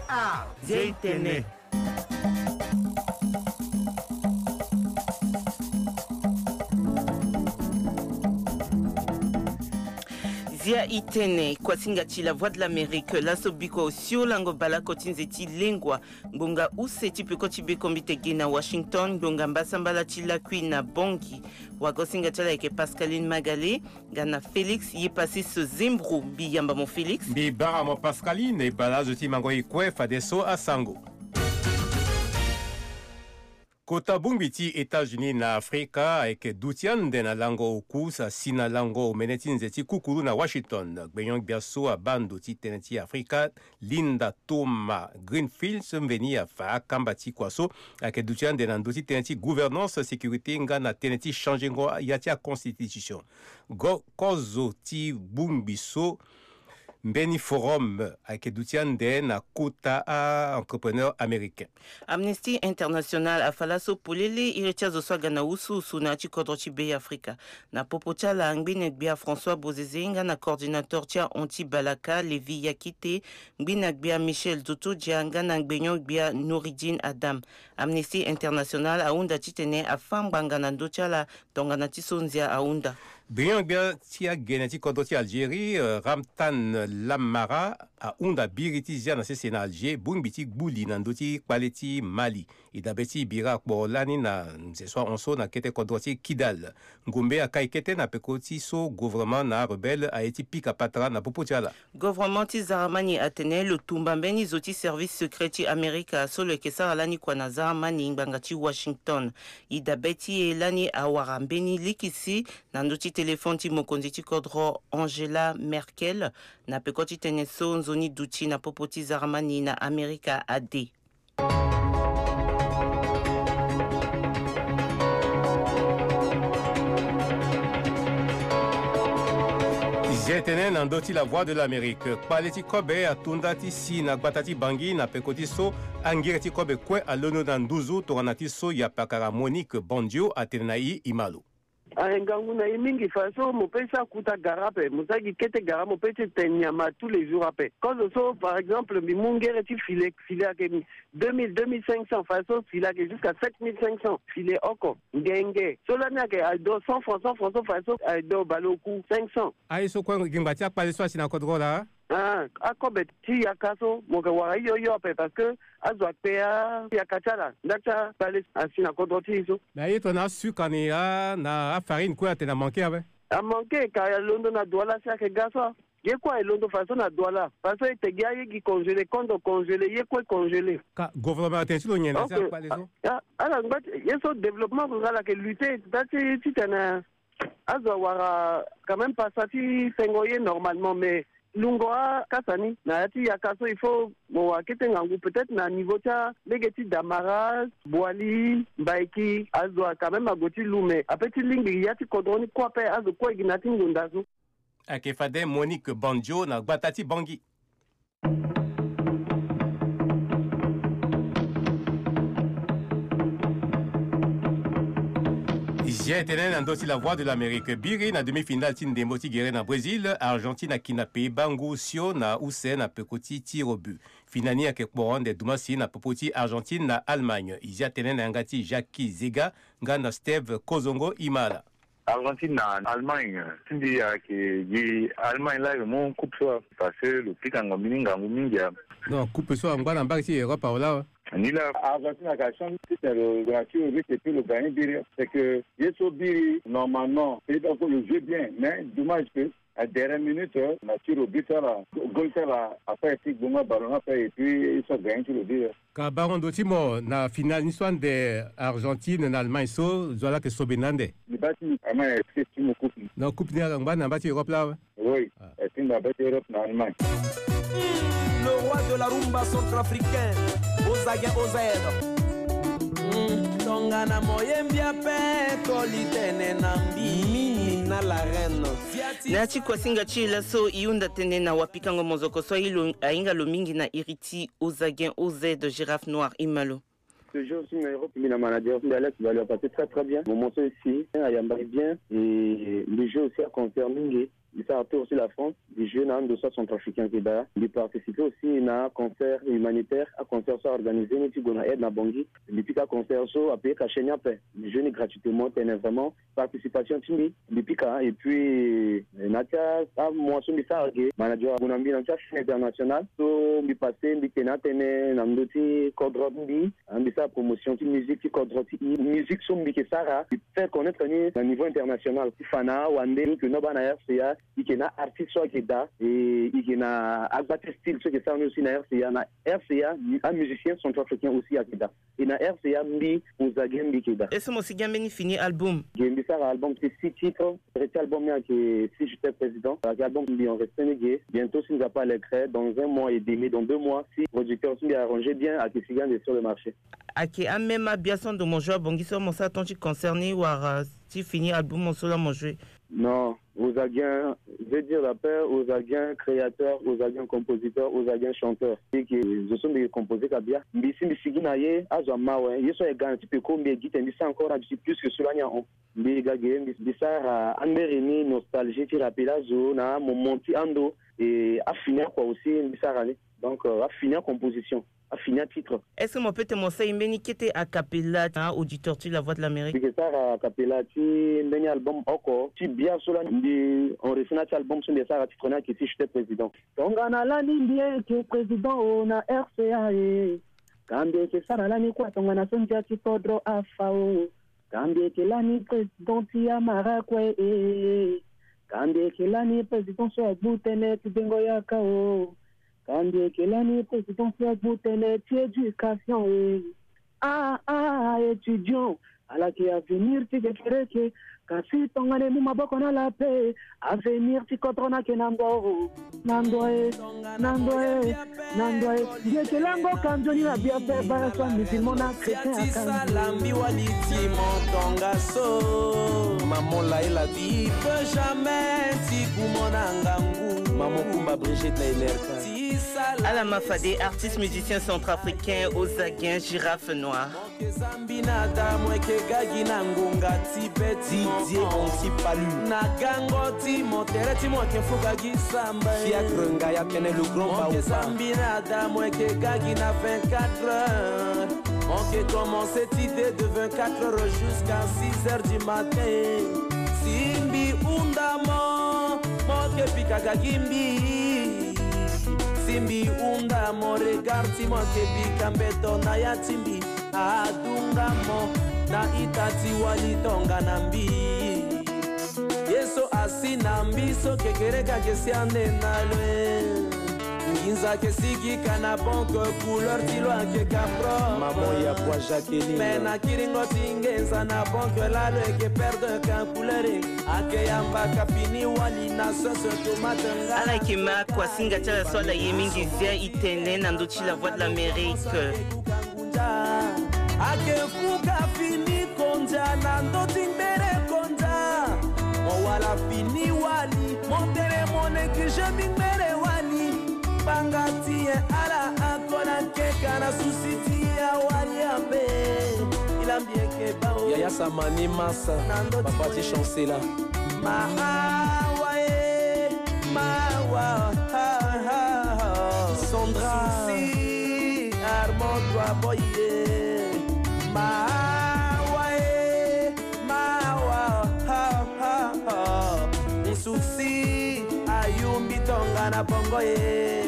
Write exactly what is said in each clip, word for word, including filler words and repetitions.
Ah, Zia itene. Zia itene, kuasinga ti La Voix de l'Amérique, laso biko osio lango balako ti nze ti lengua, ngbonga use ti peko ti bekombite ge na Washington, ngbonga mbasambala ti lakui na Bangui. Wagosinga ti ala ayeke Pascaline Magale, nga na Félix Yepassis Zembro. Mbi yamba mo Félix. Mbi bara mo Pascaline, e bala azo ti mango e kue fadeso asango. Kota bongbi ti États-Unis na Afrika ayeke duti ande na lango oku sa si na lango omene ti nze ti kukuru na Washington. Gbenyo-gbia so abaa ndo ti tënë ti Afrika, Linda Thomas Greenfield, so mveni afa akamba ti kua so ayeke duti ande na ndö ti tënë ti gouvernance, sécurité nga na tënë ti changengo ya ti aconstitution. Go kozo ti bongbi so mbeni forum ayeke duti ande na kota a-entrepreneur américain. Amnesty International afa laso polele iri ti azo so aga na wusuwusu na ya ti kodro ti Be Afrika. Na popo ti ala, ngbene gbia François Bozizé nga na coordinateur ti ahon ti Balaka, Lévi Yakite, ngbene gbia Michel Zotodia nga na ngbenyo gbia Nouridine Adam. Amnesty International ahunda titene afâ ngbanga na ndö ti ala tongana ti so nzia ahunda. Gbenyo-gbia ti agene ti kodro ti Algérie, euh, Ramtan Lamara, ahunda biri ti zia na sese na Alger bongbi ti gbu li na ndö ti kpale ti Mali. E dabe ti bira akporo lani na nze so ahon so na kete kodro ti Kidal. Ngombe akai kete na peko ti so gouvernement na arebelle aye ti pika patara na popo ti ala. Gouvernement ti Zaramani atene lo tumba mbeni zo ti service secret ti Amerika so lo yeke sara lani kua na Zaramani ngbanga ti Washington. E dabe ti e lani awara mbeni likisi na ndö ti téléphone ti mokonzi ti kodro Angela Merkel, na peko ti tënë so nzoni duti na popo ti Zaramani na Amerika ade. Zia tënë na ndö ti La Voix de l'Amérique. Kpale ti kobe ato nda ti si na gbata ti Bangui na peko ti so angere ti kobe kue alondo na nduzu tongana ti so yapakara Monique Bandio atene na e, e ma lo. Aye ngangu na e mingi fa so mo pe sa kuta gara ape, mo sa gi kete gara, mo pe ti tene nyama tous les jours ape. Kozo so, par exemple, mbi mu ngere ti filet, filet ayeke deux mille, deux mille cinq cents, fa so filet ayeke jusqu'à sept mille cinq cents, filet oko. Ngenge so lani ayeke aye do cent francs, cent francs so fa so aye do baleoku cinq cents. Aye so kue gi ngba ti akpale so asi na kodro laa. Ah, akobe ti yaka so mo yeke wara hio hio ape parce que azo akpe ayaka ti ala nda ti akpale asi na kodro ti e so. Me aye tongana asuka ni a na afarine kue atene amanke ape. Amanke ka alondo na Douala si ayeke ga so. Ye kue aye londo fa so na Douala fa so e te gi aye gi congelé, kondo congelé, ye kue congelé. Ka gouvernement atene ti lo nyen na si akpale so? Ah, ala ngba ti ye so développement rural ayeke lutter nda ti titene azo awara quand même pasa ti tengo ye normalement, mais lungo akasa ni na ya ti yaka so il faut mo wara kete ngangu, peut-être na niveau ti alege ti Damara, Boali, Mbaiki, azo a quand même ague ti lu, mais ape ti lingbi ya ti kodro ni kue ape azo kue gi na ya ti ngonda so. Ayeke fade Monique Bandio na gbata ti Bangui. Zia e tene na ndö ti La Voix de l'Amérique. Biri na demi-finale ti ndembo ti gere na Brésil, Argentine ayeke na pays bango osio na use na peko ti tir au but. Finale ni ayeke kporo ande dumassi na popo ti Argentine na Allemagne. E zia tene na yanga ti Jackie Zega nga na Steve Kozongo Imala. Argentine na Allemagne, si mbi ayeke gi Allemagne laa e mu coupe so, parce que lo pikango mbeni ngangu mingi. Non, coupe so angba na mbage ti Europe awe laa. Ni laa. Argentine ayeke achance ti tene lo na tir au but et puis lo gagne biri. C'est que ye so biri normalement pays bango lo joue bien, mais dommage que à dernière minute na tir au but ala, goal ti ala afa e ti gbonga ballon ni ape et puis e so gagne tir au but. Ka bango ndo ti mo na finale ni so ande Argentine na Allemagne so, zo ala yeke sobe na ande. Mbi baa ti Allemagne ayeke ti mo coupe. Na coupe ni angba na mbage ti Europe laa awe. Oui, ayeke ti mo na mbage ti Europe na Allemagne. Le roi de la rumba centrafricaine, Ozagen O Z. Mm, tongana mo ye mbi ape, koli tene na mbi. Mimi na la reine. Na ya ti kuasinga ti e laso, e hunda tënë na wapikango mozoko so aye lo, ahinga lo mingi na iri ti Ozagen O Z, Girafe Noir, Imalo. Ce jour, si na Europe, mbi na manager, mbi Alex Bali, a passé très, très bien. Mon morceau ici, ayamba bien. Et mbi joue aussi à concert mingi. Mbi sara tour ti la France, mbi joue na ando so acentrafricain ayeke daa. Mbi participe aussi na concert humanitaire, aconcert so aorganisé ni ti gue na aide na Bangui. Mbi pika concert so apaye cachet ni ape. Mbi joue ni gratuitement, tene vraiment participation ti mbi, mbi pika. Et puis na ya ti amois so mbi sara ge, manager ague na mbi na ya ti achaîne internationale so mbi passe, mbi tene atene na ndö ti kodro ti mbi. Ah, mbi sara promotion ti musique ti kodro ti e. Musique so mbi yeke sara, mbi fait connaître ni na niveau international. Ti fa na wande, donc no baa na R C A, e yeke na artiste so ayeke daa, e yeke na agba ti style so e yeke sara ni aussi na R C A. Na R C A, amusicien centrafricain aussi ayeke daa. E na R C A mbi, Ozaguin mbi yeke daa. Est-ce que mo si gi ambeni fini album? Ge, mbi sara album ti six titres. Tere ti album ni ayeke Si j'étais président. Ayeke album mbi enregistré ni ge. Bientôt, si Nzapa a le gré, dans un mois et demi, dans deux mois, si producteur so mbi arrangé bien ayeke si gi ande sur le marché. Ayeke amême abia so ando mo joue abongi so mo sara temps ti concert ni wala ti fini album mo so laa mo joue? Non, Ozaguin, je veux dire la paix, Ozaguin créateur, Ozaguin compositeur, Ozaguin chanteur. Eke zo so mbi yeke composé ka bia. Mbi si mbi sigi na ye, azo ama awe. Ye so ayeke ga na ti peko mbi yeke gi tene mbi sara encore na mbi si plus que so lani ahon. Mbi ga ge, mbi, mbi sara amberi ni nostalgie ti rappel azo na moment ti ando. E afini akua aussi mbi sara ni. Donc, euh, afini acomposition, afini atitre. Est-ce que mo peut tene mo sara e mbeni kete a cappella na auditeur ti La Voix de l'Amérique? Mbi yeke sara a cappella ti mbeni album oko ti bia so lani. Mbi enregistré na ya ti album so mbi yeke sara, titre ni ayeke Si j'étais président. Tongana lani mbi yeke président o na R C A e. Ka mbi yeke sara lani kue tongana so ndia ti kodro afa o. Ka mbi yeke lani président ti amara kue e. Ka mbi yeke lani président so agbu tënë ti dengo yaka o. Ka mbi yeke lani président so agbu tënë ti éducation e. Ah, ah, étudiant, ala yeke avenir ti kekereke. Kasi tongana e mu maboko na ala ape, avenir ti kodro ni ayeke na ndo o. Na ndo e, na ndo e, na ndo e. Mbi yeke lango ka nzoni na bia ape, baa so amusulman na chrétien akangi. Sala mbi wali ti mo tongaso. Maman Laela. Ti peut jamais ti ku mo na ngangu. Maman Kumba Brigitte na Emerka. Ti sala. Ala ma fade artiste musicien centrafricain Ozaguin Girafe Noir. Mo yeke zambi na da, mo yeke ga gi na ngonga ti be ti mo. Didier Anti Palu. Na gango ti mo, tere ti mo yeke fuka gi samba e. Fiacre Ngaya tene le grand baoba. Mo yeke zambi na da, mo yeke ga gi na vingt-quatre heures. Mo yeke commencé ti de de vingt-quatre heures jusqu'à six heures du matin. Si mbi hunda mo, mo yeke pika ga gi mbi. Si mbi hunda mo, regard ti mo yeke pika mbeto na ya ti mbi. Adunga mo na ita ti wali tongana mbi. Ye so asi na mbi so kekereke ayeke si ande na lo e. Nginza ayeke sigi ka na banque, couleur ti lo ayeke ka propre. Maman ya bwa Jacqueline. Me na kiringo ti nginza na banque laa lo yeke perdre ka couleur e. Ayeke yamba ka fini wali na sauce tomate nga. Ala yeke ma kuasinga ti ala so ala ye mingi zia e tene na ndö ti La Voix de l'Amérique. Ngunza. Ayeke fuka fini konza na ndö ti ngbere konza. Mo wala fini wali, mo tene mo négligé mbi ngbere wali. Banga ti nyen ala ako na nkeka na susi ti awali ape. Ila mbi yeke ba o. Yaya Samani Massa, na ndö ti papa ti Chancela. Mawa e, mawa, ha, ha, ha. Sandra. Susi, Armand, toi, boy, e. Mawa e, mawa, ha, ha, ha. Susi, ayumbi tongana bongo e.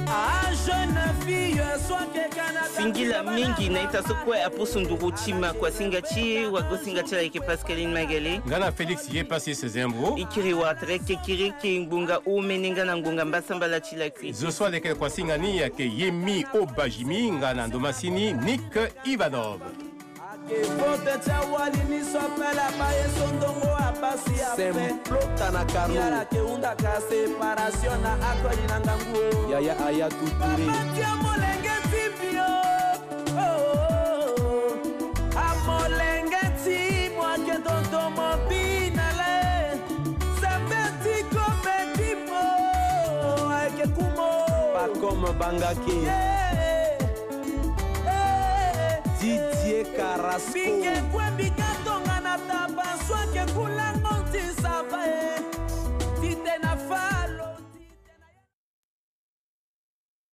A jeune fille, soit que Canada. Singila mingi na ita so kue apusu nduru ti ma kuasinga ti wagosinga ti ala yeke Pascaline Magale. Nga na Félix ye pasi sezembro. E kiri wara tere kekereke ngbonga omene nga na ngbonga mbasambala ti lakui. Zo so aleke kuasinga ni ayeke Yemi Obajimi nga na ndomasini Nick Ivanov. Ake vote ti awali ni so apele abaye so ndongo abasi ape. Sem plota na karo. Yala ke hunda ka séparation na akoli na ngangu o. Yaya Aya Tuture. Papa ti amolenge ti mbi o. Oh, oh, oh. Amolenge ti mo ake tonton mo bi na le. Sembe ti kobe ti mo ake kumo. Pas comme Bangake. Yeah. Didier Carrasco. Mbi ke kue mbi ka tongana taba so ake kulango ti sava e. Ti te